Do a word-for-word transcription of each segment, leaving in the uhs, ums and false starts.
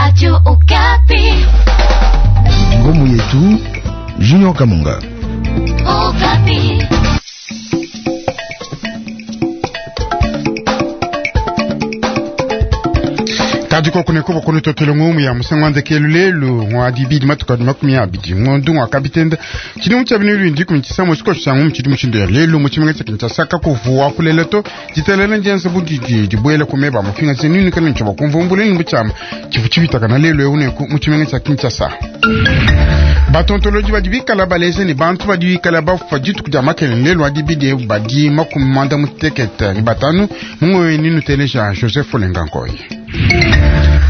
Radio Okapi. Ngomu yetu Junior Kamunga. Okapi. Kadiko kunekuba kunutotele ngumu ya musangwande kelulelu ngwa dibidi matuka makumi abidi ngondu ngwa kabitenda chini mucha binulu ndi kumchisa musiko changu mchidi mushindo ya lelu muchimenga cha Kinshasa kakuvuwa kuleleto jitelele njense budidi dibwele kumeba mufinga zenini kana nchoba kumvumbule ni buchama chifu chibitaka na lelu eune muchimenga cha Kinshasa. Batontoloji badi bikala baleze ni bantu badi bikala bafa dituku dia makelele lelu adi bidi badi makumi manda mutekete ni batanu mungoyo ninu teleja Joseph Olengankoy.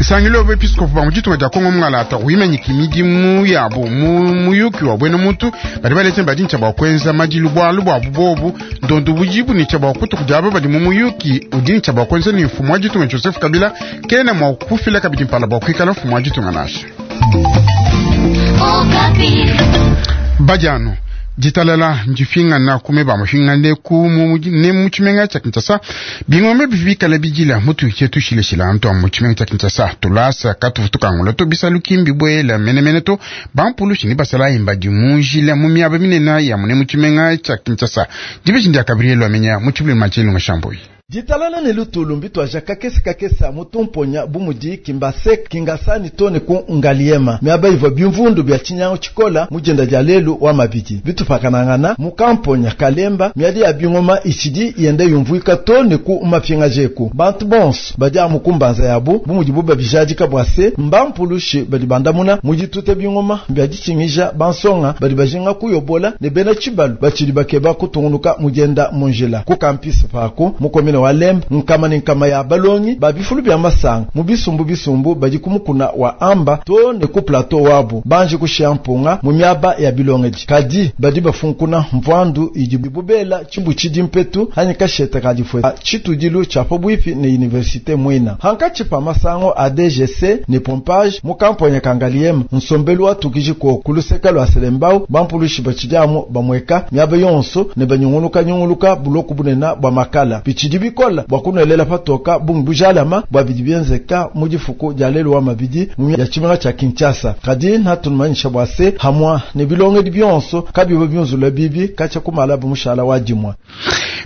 Isangilo bepiskopo ba muditunga dia Kongo mungalata wimanyiki midimu yabo mu muyuki wa bwena muntu badi baleze badi ntsha bua kuenza madilu bualu buabu bobu ndondo bujibu ni tsha bua kutuku diaba badi mu muyuki udi ntsha bua kuenza ni mfumu wa ditunga Joseph Kabila kena mua kufila kabidi mpala bua kuikala mfumu wa ditunga nasha. Okapi. Badiano ditalala ndifingana kumeba mafingane ku ne mu tshimenga tshia Kinshasa bingombe bivikala bidila mutu chetu shileshila antu mu tshimenga tshia Kinshasa tulasa katufu tukangula to bisalu kimbi bwela menemene to bampulushi ni basala imba di munjila mu miaba minene ya mune mu tshimenga tshia Kinshasa dibishi ndia Gabriel Amenya mu tshibuli machelu ngashamboi. Ditalala ne lutulu mbitwaja kakese kakese mutumponya bumudi kimbasek kingasani tone ku ngaliema miaba ivwa bimvundu bya chinyango chikola mujenda dia lelu wa mabidi bitupakanangana mukamponya kalemba miadi ya bingoma ichidi yende yumvuika tone ku mapinga jeku bantu bonso badi amukumbanza yabu bumudi buba bijadika bwase mbampulushi badi bandamuna mujitute bingoma bya dichingija bansonga badi bajinga kuyobola ne bena chibalu bachidi bakeba kutungunuka mujenda munjila ku campus pako mukomine walemba nkama ni nkama ya balongi babifulu bya masanga mu bisumbu bisumbu badi kumukuna wa amba to ne ku plateau wabu banje kushia mpunga mu miaba ya bilongeji kadi badi bafunkuna mvandu idi bubela chimbu chidi mpetu hanyi kasheta kadifwe chitudilu cha pobwipi ne universite mwina hankachi pa masango a D G C ne pompage mu kamponya kangaliema nsombelu wa tukijiko kuluseka lwa selembau bampulushi bachidiamu bamweka miaba yonso ne banyunguluka nyunguluka buloku bunena bwa makala bichidi bikola bwa kunolela patoka bungi bujalama bwa bidi byenzeka mu difuku dia lelu wa mabidi mu ya tshimenga tshia Kinshasa kadi natunumanyisha bwa se hamwa ne bilongedi bionso kabibo byunzula bibi katshia kumala bumushala wa dimwa.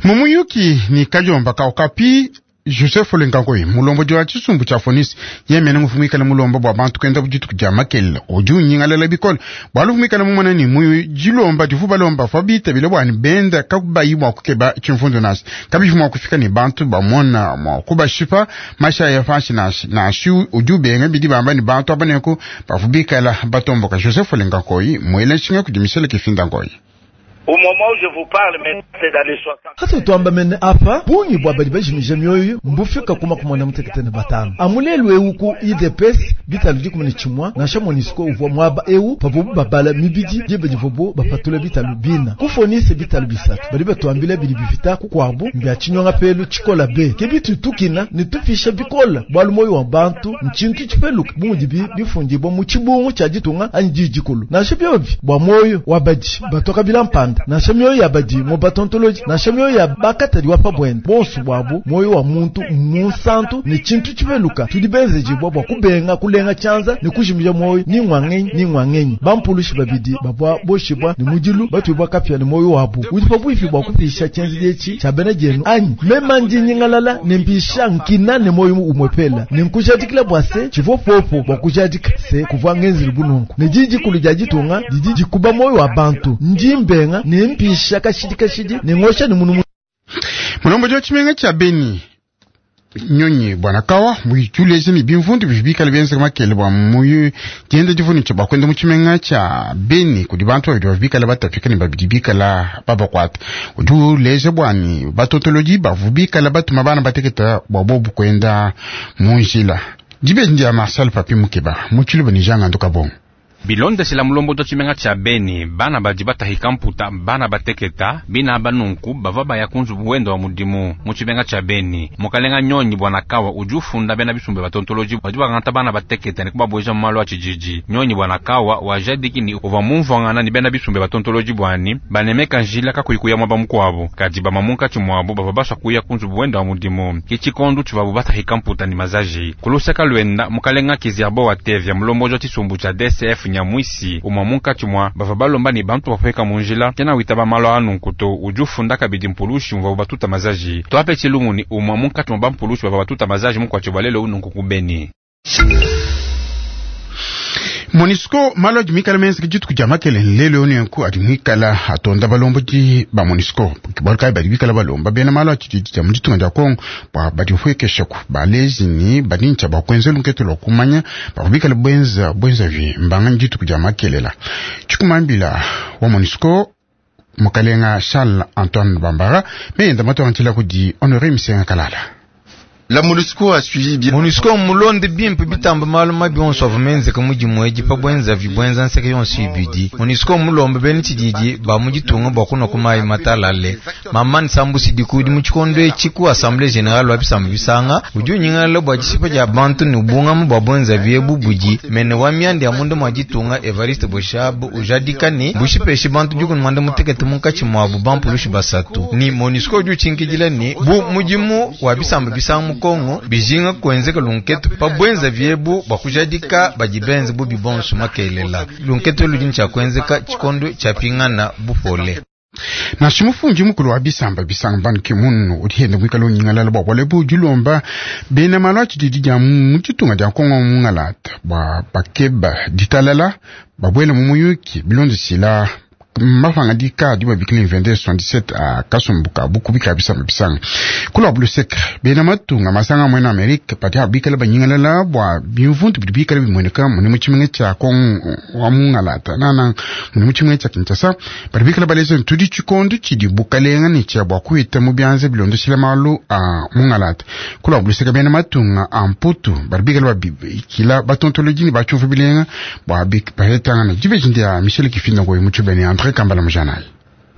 Mumuyuki ni kajomba ka Okapi Joseph Olengankoy mulombo wa tshisumbu tshia Fonisi yemene ngufumikala mulombo bwa bantu kenda budituku dia makelele udi unyingalela bikole bwalu fumikala mumona ni muyu dilomba divu balomba fa bitabile bwani benda kakubayi mwa kukeba tshimfundu nasi kabifu mwa kufika ni bantu bamona mwa kubashipa mashaya fanshi nasi nasi udi ubenga bidi bamba ni bantu abaneku bavubikala batomboka. Joseph Olengankoy mwele nshinga kudimisele kifinda nkoy. Au moment où je vous parle, c'est dans les soixante. Hata tuamba mene apa bungi bwa badi bajimije mioyo mbufika kuma kumona mutekete ne batano amulelu ewu ku I D P S bitalu dikumi ne tshimwa nansha MONUSCO uvua mwaba ewu pavubu babala mibidi diba divubu bapatula bitalu bina kufonise bitalu bisatu badi batuambila bidi bifita kukwabu mbya tshinyonga pelu tshikola be ke bitu tukina ne tufisha bikola bwalu moyo wa bantu nchintu tshipeluka bumudi bi bifundibwa mu tshibungu tshia ditunga anyi didikulu nansha byobi bwa moyo wa badi batoka bilampanda nansha mioyo ya badi mu batontoloji nansha mioyo ya bakatadi wa pabwenda bonso bwabu moyo wa muntu munsantu ne tshintu tshipeluka tudi benzejibwa bwa kubenga kulenga tshianza ne kujimija moyo ni ngwangenyi ni ngwangenyi bampulushi babidi babwa boshibwa ne mudilu batwibwa kapya ne moyo wabu udi pabwipi bwa kupisha tshienzi dietshi tshia bena dienu anyi mema ndi nyingalala ne mpisha nkina ne moyo umwepela ne nkujadikila bwa se tshivua popo bwa kujadika se kuvua ngenzeli bununku ne didikulu dia ditunga didi dikuba moyo wa bantu ndi mbenga ne mpisha kashidi kashidi ne ngosha ne munu. Mulombo wa tshimenga tshia Beni nyonyi bwana kawa muituleze ni bimvundu bibikala byenze makele bwa muyu dienda divuni tshia bakwenda mu tshimenga tshia Beni kudi bantu babidi babikala batafika ne babidi bikala babakwata udi uleze bwani batotoloji bavubikala batuma bana bateketa bwa bobu kwenda munjila dibe ndia Marcel Papi Mukeba mu tshiluba ni Jean Nganduka Bongo. Bilondeshela mulombodo tshimenga tshia Beni, bana badi batahika mputa, bana bateketa, bina banunku bava baya kunzubu wenda wa mudimu mu tshimenga tshia Beni. Mukalenga Nyonyi bwana Kawa udi ufunda bena bisumbu batontoloji badi bangata bana bateketa ne kubabweja mu malu a tshijiji. Nyonyi bwana Kawa wajadiki ni uvua mumvuangana ni bena bisumbu batontoloji bwani banemeka njila kakuyi kuya mwaba mukuabu kadi bamamunkatshi muabu bava baswa kuya kunzubu wenda wa mudimu. Kitshikondo tshivabu batahika mputa ni mazaji. Kulusaka lwenda mukalenga Kizerbo wa Tevya mulomboji wa tshisumbu tshia D C F Nyamwisi umwa munkatshi mwa bava balomba ni bantu bapweka munjila kena witaba malo anu nkuto udi ufunda kabidi mpulushi muvua batuta mazaji. Twape tshilumu ni umwa munkatshi mwa bampulushi bava batuta mazaji mukwatshi bwa lelo unu nkuku Beni. MONUSCO malo adi mwikala menza dituku dia makele lelo nenku adi mwikala atonda balombodi ba MONUSCO bualu kayi badi bikala balomba bena malo atshididi dia mu ditunga dia Kongo bua badipuekeshaku balezi ni badi ntshia bua kuenza lunkete lua kumanya bavua bikala bwenza bwenza vi mbanga dituku dia makelela. Tshikumambila wa MONUSCO mukalenga Charles Antoine Bambara meyenda matuangantshila kudi Honoré Misenga Kalala. La MONUSCO a suivi bien. MONUSCO mulonde bimpe bitamba malu mabi onso avua menzeka mudimu edi pa bwenza vibwenza nseke yonso ibidi. MONUSCO mulombe bena tshididi ba mu ditunga bua kunua ku mayi matalale. Mama Nsambu Sidiku udi mu tshikondo etshi ku Assemblée Générale wa bisamba bisanga udi unyingalala bua dishipa dia bantu ne ubungama bua bwenza biebu budi mene wa mianda ya munda mua ditunga Evariste Boshab ujadika ne bushipeshe bantu dikumi mwanda mutekete munkatshi muabu bampulushi basatu. Ni MONUSCO udi utshinkidila ne bu mudimu wa bisamba bisanga mu Kongo bijinga kuenzeka lunketu pa bwenza vyebu bua kujadika badi benze bubi bonso makelela. Lunketu ludi ntshia kuenzeka tshikondo tshia pingana bupole. Nansha mufundi mukulu wa bisamba bisanga Ban Ki-moon udi henda muikale unyingalala bua bualu ebu dilomba bena malu a tshididi dia mu ditunga dia Kongo mungalata bua bakeba ditalala babuela mu muyuki bilondeshila mapangadika adi babikila vingt-deux soixante-dix-sept a kasumbu ka bukubi ka bisamba bisanga. Kula buluseka bena matunga masanga mwena Amerika badi abikala banyingalala bua bimvundu bidi bikala bimueneka mune mu tshimenga tshia Kongo wa mungalata nana mune mu tshimenga tshia Kinshasa badi bikala baleza tudi tshikondo tshidi bukalenga ne tshia bua kuita mu bianza bilondeshila malu a mungalata. Kula buluseka bena matunga a Mputu badi bikala babikila batontoloji ne batshiuvu bilenga bua bahetangana dibeji ndia Michel Kifinda ngoyi mu tshibeni André Kambala Mujanai.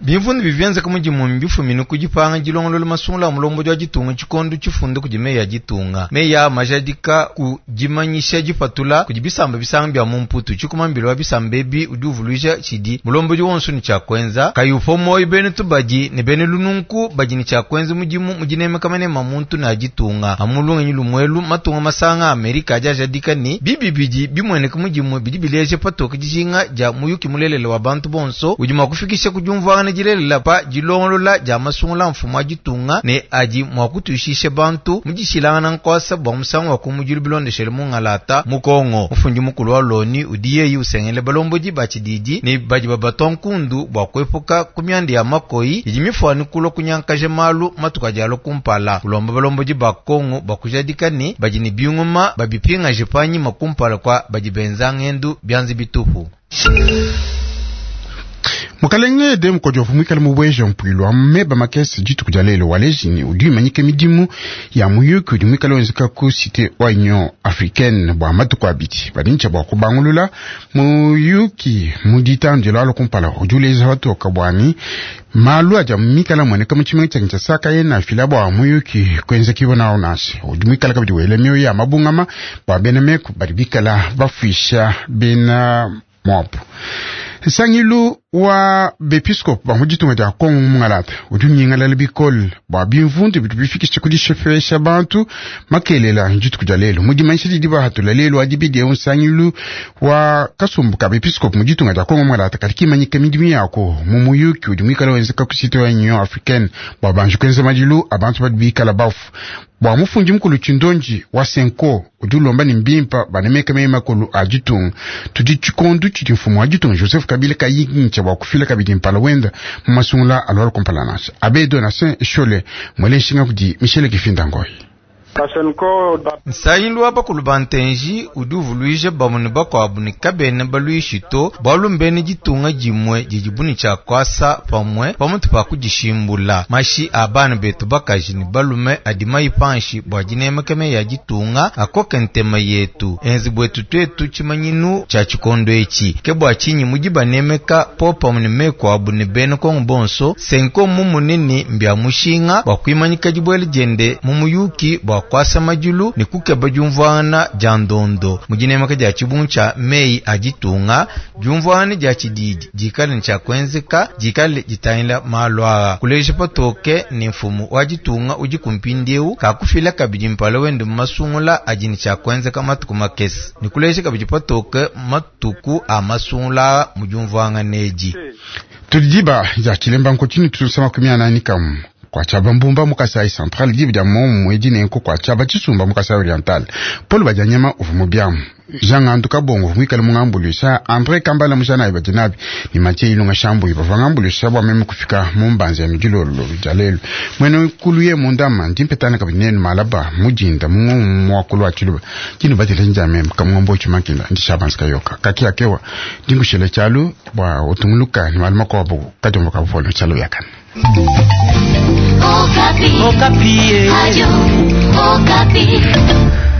Bimvundu bivyenzeka mudimu mbifumine ku dipanga dilongolola masungula a mulombodi wa ditunga tshikondo tshifunde kudi meyi a ditunga. Meyi a majadika ku dimanyisha dipatula kudi bisamba bisanga bia mu Mputu. Tshikumambila wa bisamba ebi udi uvuluija tshidi mulombodi wonso ne tshia kuenza. Kayi upua muoyo bena tubadi ne bena lununku badi ne tshia kuenza mudimu mu dinemeka manema muntu ne a ditunga. Amu lungenyi lumuelu matunga masanga a Amerika adi ajadika ne bibi bidi bimueneka mudimu bidi bileja patoke dijinga dia muyuki mulelela wa bantu bonso udi mua kufikisha ku diumvuangana dilelela pa dilongolola dia masungula mfumu wa ditunga ne adi mua kutuishisha bantu mu dishilangana nkosa bua musangu wa kumudilu bilondeshele mungalata mu Kongo. Mufundi mukulu wa Loni udi yeyi usengele balombodi ba tshididi ne badi babatua nkundu bua kuepuka ku mianda ya makoyi idi mifuane kulua kunyankaja malu matuku adi alua kumpala. Ulomba balombodi ba Kongo bua kujadika ne badi ne bingoma babipingaje panyima kumpala kwa badi benza ngendu bianza bitupu. Mukalenge Edem Kodjovu mwikale mubweja mpuilu wa meba makese dituku dia lelo wa lejini udi imanyika midimu ya muyuki udi mwikale wenzeka ku cité wa Union Africaine bua matuku abidi badi ntshia bua kubangulula muyuki mu ditanu dilua kumpala udi uleja patoka bwani malu adi mikala mueneka mu tshimenga tshia Kinshasa kayena afila bua muyuki kuenzekiwa nawo nansha udi mwikala kabidi wela mioyo ya mabungama bua bena meku badi bikala bafuisha bena mwapu. Nsangilu wa bepiskopo ba mu ditunga dia Kongo mungalata udi unyingalala bikole bua bimvundu bidi bifikisha ku dishepesha bantu makelela dituku dia lelo. Mu dimanyisha didi bahatula lelo adi bidieu nsangilu wa kasumbu ka bepiskopo mu ditunga dia Kongo mungalata kadi kimanyika midimu yako mu muyuki udi muikale wenzeka ku cité wa Union Africaine bua banji kuenza madilu a bantu badi bikala bafu. Bua mufundi mukulu Tshindonji wa Senko udi ulomba ne mbimpa banemeka meyi makulu a ditunga tudi tshikondo tshidi mfumu wa ditunga Joseph Kabila kayintsha bua kufila kabidi mpala wenda mu masungula alwala kumpala nansha Abe Donatien Shole mwele nshinga kudi Michel Kifinda Ngoyi. Nsangilu wa bakulu ba ntenji udi uvuluija bamue ne bakuabu ne kabena baluishi to, bualu mbene ditunga dimue didibu ne tshia kuasa pamue pamutu pa kudishimbula. Mashi a bana betu bakaji ne balume adi mayi panshi bua dinemeka meyi a ditunga akoke ntema yetu, enze buetu tuetu tshimanyinu tshia tshikondo etshi. Ke bua tshinyi mudi banemeka popamue ne meku abu ne bena Kongo bonso, Cenco mumune mbia mushinga bua kuimanyika dibuela diende mu muyuki bua kuasa madilu ne kukeba diumvuangana dia ndondo mu dinemeka dia tshibungu tshia meyi a ditunga. Diumvuangana dia tshididi dikale ne tshia kuenzeka dikale ditangila malu aa kuleja patoke ne mfumu wa ditunga udi kumpindieu kakufila kabidi mpala wende mu masungula adi ne tshia kuenzeka matuku makese ne kuleja kabidi patoke matuku a masungula mu diumvuangana edi. Tudiba ya chilemba nkotini tusema kumia nani kamu kwa chaba mbumba mu Kasai Central dibu dia momu edi nenko kwa chaba chisumba mu Kasai Oriental Paul Badianyama uvu mu biamu Jean Ngandu Kabongo uvu mwikale mungambuluisha André Kambala mujana ibadinabi ni Mathieu Ilunga Shambu ibava ngambuluisha bwa meme kufika mu mbanza ya midilolo dia lelu mwene kuluye mundama ndimpetana kabidi nenu malaba mujinda mu mwakulu wa chiluba kinu batele njame kamwombo chimakinda ndishabanza kayoka kakia kewa ndingushele chalu bwa utunguluka ni maluma kwa bu kajombo kabupolo chalu yakana. Okapi. Okapi. Radio Okapi.